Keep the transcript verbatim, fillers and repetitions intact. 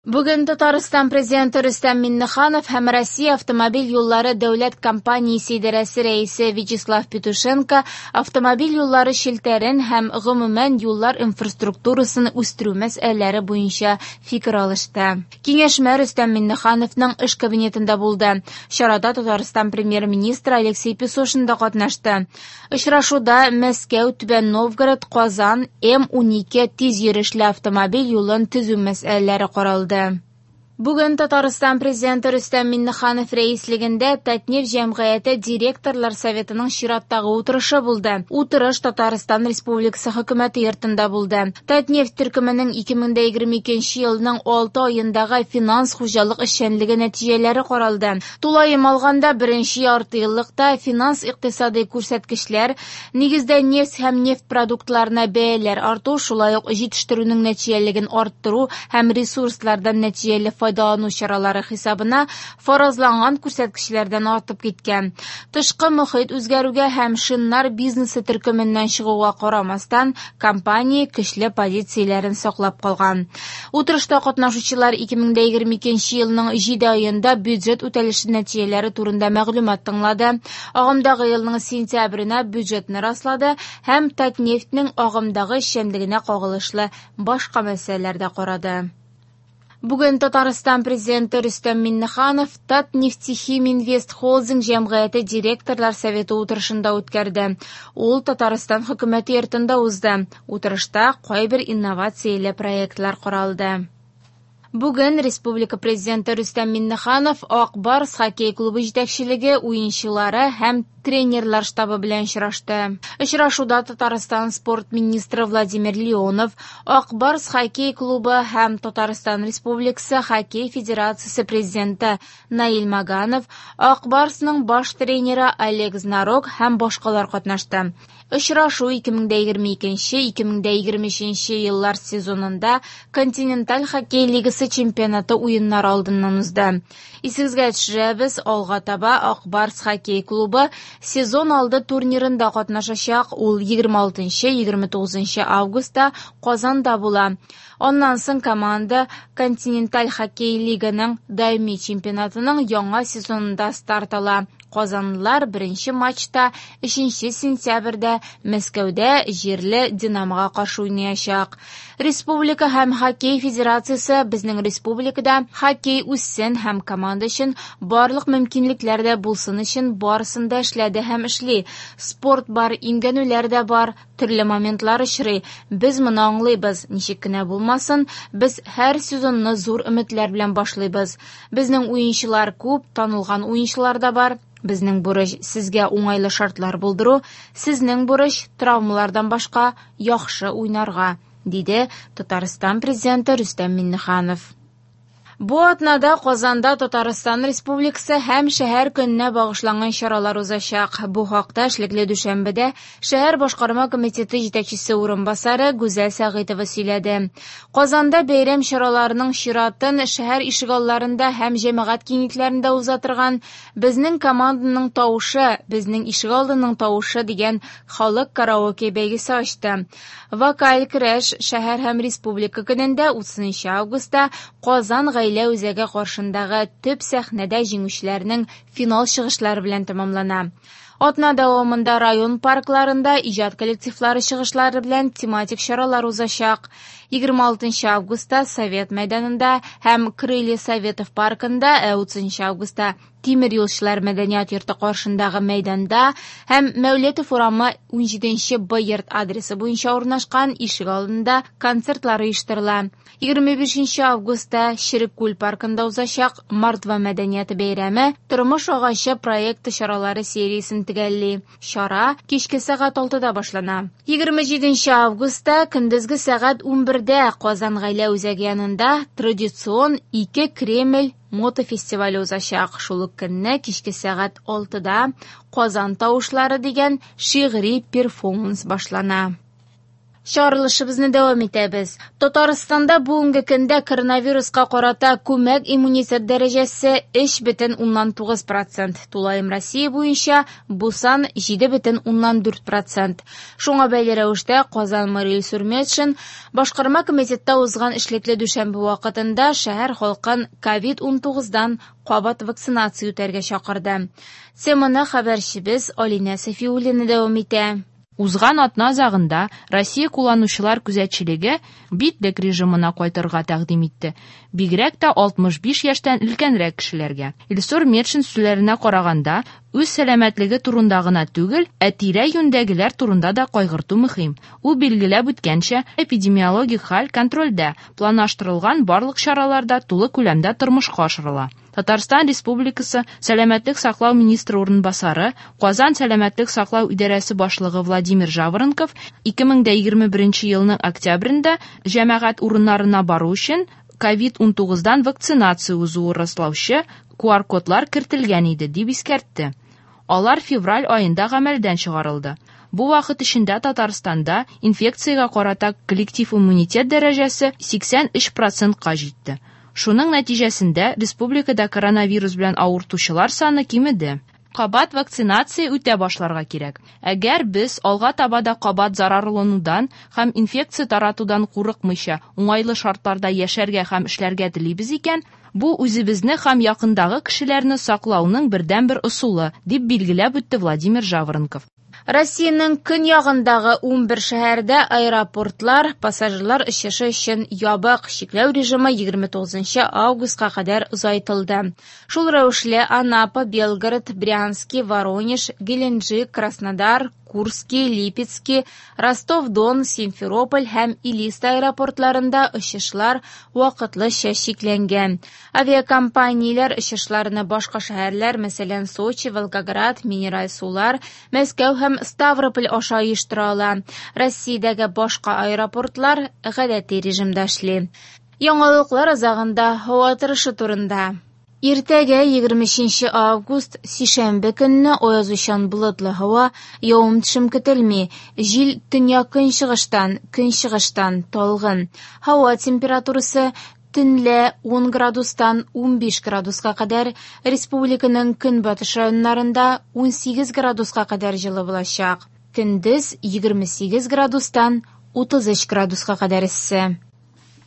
Бүген Татарстан Президенты Рөстәм Миңнеханов һәм Россия автомобиль юллары дәүләт компаниясе идарәсе рәисе Вячеслав Петушенко автомобиль юллары челтәрен һәм гомумән юллар инфраструктурасын үстерү мәсьәләләре буенча фикер алышты. Киңәшмә Рөстәм Миңнехановның эш кабинетында булды. Чарада Татарстан премьер-министры Алексей Песошин да катнашты. Очрашуда Мәскәү, Түбән Новгород, Казан, М унике тиз йөрешле автомобиль юлын төзү мәсьәләләре каралды. Бүген Татарстан Президенты Рөстәм Миңнеханов рәислегендә Татнефть җәмгыяте директорлар советының чираттагы утырышы булды. Утырыш Татарстан Республикасы хөкүмәте йортында булды. Татнефть төркеменең ике мең дә егерме икенче елның алты аендагы финанс хуҗалык эшчәнлеге нәтиҗәләре каралды. Тулаем алганда беренче ярты еллыкта финанс икътисади күрсәткечләр, нигездә нефть һәм нефть продуктларына бәяләр арту, шулай ук җитештерүнең нәтиҗәлелеген арттыру һәм ресурслардан нәтиҗәле файдалану чаралары хисабына фаразланган күрсәткечләрдән артып киткән. Тышкы мохит үзгәрүгә һәм шиннар бизнесы төркеменнән чыгуга карамастан, компания көчле позицияләрен саклап калган. Утырышта катнашучылар ике мең дә егерме икенче елның җиде аенда бюджет үтәлеше нәтиҗәләре турында мәгълүмат тыңлады. Агымдагы елның сентябренә бюджетны раслады һәм Татнефтьнең агымдагы эшчәнлегенә кагылышлы башка мәсьәләләр дә карады. Бүген Татарстан Президенты Рөстәм Миңнеханов Татнефтехим Инвест Холдинг җәмгыяте директорлар советы утырышында үткәрде. Ул Татарстан хөкүмәте йортында узды. Утырышта кайбер инновацияле проектлар каралды. Бүген Республика Президенты Рөстәм Миңнеханов Ак Барс хоккей клубы җитәкчелеге, уенчылары һәм тренерлар штабы белән очрашты. Очрашуда Татарстан спорт министры Владимир Леонов, Ак Барс хоккей клубы һәм Татарстан Республикасы хоккей федерациясе президенты Наил Маганов, Ак Барсның баш тренеры Олег Знарок һәм башкалар катнашты. Очрашу ике мең дә егерме икенче, ике мең дә егерме өченче еллар сезонында Континенталь хоккей лигасы чемпионаты уеннары алдыннан узды. Исегезгә төшерәбез, алга таба Ак Барс хоккей клубы сезон алды турнирында катнашачак. Ул егерме алтынчы, егерме тугызынчы августта Казанда була. Аннан соң команда Континенталь хоккей лиганың даими чемпионатының яңа сезонында старт ала. Казанлылар беренче матчта өченче сентябрьдә Мәскәүдә җирле Динамога каршы уйнаячак. Республика һәм хоккей федерациясе безнең республикада хоккей үссен һәм команда өчен барлык мөмкинлекләр дә булсын өчен барысын да эшләде һәм эшли. Спорт бар, имгәнүләр дә бар, төрле моментлар очрый. Без моны аңлыйбыз. Ничек кенә булмасын, без һәр сезонны зур өметләр белән башлыйбыз. Безнең уенчылар күп, танылган уенчылар да бар. Безнең бурыч сезгә уңайлы шартлар булдыру, сезнең бурыч травмалардан башка яхшы уйнарга, диде Татарстан президенты Рөстәм Миңнеханов. Бу атнада Казанда Татарстан Республикасы һәм шәһәр көненә багышланган чаралар узачак. Бу хакта эшлекле дүшәмбедә шәһәр башкарма комитеты җитәкчесе урынбасары Гүзәл Сәгыйтова сөйләде. Казанда бәйрәм чараларының чиратын шәһәр ишегалларында һәм җәмәгать киңлекләрендә уза торган Безнең команданың тавышы, безнең ишегалдының тавышы дигән халык караоке бәйгесе ачты. Вокаль көрәш шәһәр һәм республика көнендә утызынчы августта Казан гаилә үзәге каршындагы төп сәхнәдә җиңүчеләрнең финал чыгышлары белән тәмамлана. Атна дәвамында район паркларында иҗат коллективлары чыгышлары белән тематик чаралар узачак. Егерме алтынчы августта Совет мәйданында һәм Крылья Советов паркында, ә утызынчы августта Тимер юлчылар мәдәният йорты каршындагы мәйданда һәм Мәүлетов урамы унҗиденче Б йорт адресы буенча урнашкан ишек алдында концертлар оештырыла. Егерме бишенче августта Череккүл паркында узачак Мордва мәдәнияте бәйрәме Тормыш агачы проекты чаралары сериясен төгәлли. Чара кичке сәгать алтыда башлана. Егерме җиденче августта көндезге сәгать унбердә Казан гаилә үзәге янында традицион ике Кремль мотофестивале узачак. Шул ук көнне кичке сәгать алтыда Казан тавышлары дигән шигъри перформанс башлана. Чыгарылышыбызны дәвам итәбез. Татарстанда бүгенге көндә коронавируска карата күмәк иммунитет дәрәҗәсе өч бөтен уннан тугыз процент. Тулаем Россия буенча бу сан җиде бөтен уннан дүрт процент. Шуңа бәйле рәвештә Казан мэры Илсур Метшин башкарма комитетта узган эшлекле дүшәмбе вакытында шәһәр халкын ковид унтугыздан кабат вакцинация үтәргә чакырды. Теманы хәбәрчебез Алинә Сафиуллина дәвам итә. Узган атна азагында Россия кулланучылар күзәтчелеге битлек режимына кайтырга тәкъдим итте. Бигрәк тә алтмыш биш яшьтән өлкәнрәк кешеләргә. Илсур Метшин сүзләренә караганда, үз сәламәтлеге турында гына түгел, ә тирә-юньдәгеләр турында да кайгырту мөһим. Ул билгеләп үткәнчә, эпидемиологик хәл контрольдә, планлаштырылган барлык чаралар да тулы күләмдә тормышка ашырыла. Татарстан Республикасы Сәламәтлек саклау министры урынбасары, Казан Сәламәтлек саклау идарәсе башлыгы Владимир Жаворонков ике мең дә егерме беренче елның октябрендә җәмәгать урыннарына бару өчен ковид унтугыздан вакцинация узуы раслаучы ку ар кодлар кертелгән иде, дип искәртте. Алар февраль аенда гамәлдән чыгарылды. Бу вакыт эчендә Татарстанда инфекциягә карата коллектив иммунитет дәрәҗәсе сиксән өч процентка җитте. Шуның нәтиҗәсендә республикада коронавирус белән авыртучылар саны кимеде. Кабат вакцинация үтә башларга кирәк. Әгәр без алга таба да кабат зарарланудан һәм инфекция таратудан курыкмыйча уңайлы шартларда яшәргә һәм эшләргә телибез икән, бу үзебезне һәм якындагы кешеләрне саклауның бердәнбер ысулы, дип билгеләп үтте Владимир Жаворонков. Россиянең көньягындагы унбер шәһәрдә аэропортлар пассажирлар очышы өчен ябык чикләү режимы егерме тугызынчы августка кадәр озайтылды. Шул рәвешле Анапа, Белгород, Брянский, Воронеж, Геленджик, Краснодар, Курский, Липецкий, Ростов-Дон, Симферополь һәм Элиста аэропортларында очышлар вакытлыча чикләнгән. Авиакомпанияләр очышларны башка шәһәрләр, мәсәлән, Сочи, Волгоград, Минераль Сулар, Мәскәү һәм Ставрополь аша оештыра ала. Россиядәге башка аэропортлар гадәти режимда эшли. Яңалыклар азагында һава торышы турында. Иртәгә егерме өченче август сишәмбе көнне аязучан болытлы һава, явым-төшем көтелми. Җил төньяк-көнчыгыштан, көнчыгыштан талгын. Һава температурасы төнлә ун градустан унбиш градуска кадәр, республиканың көнбатыш районнарында унсигез градуска кадәр җылы булачак. Көндез егерме сигез градустан утыз өч градуска кадәр эссе.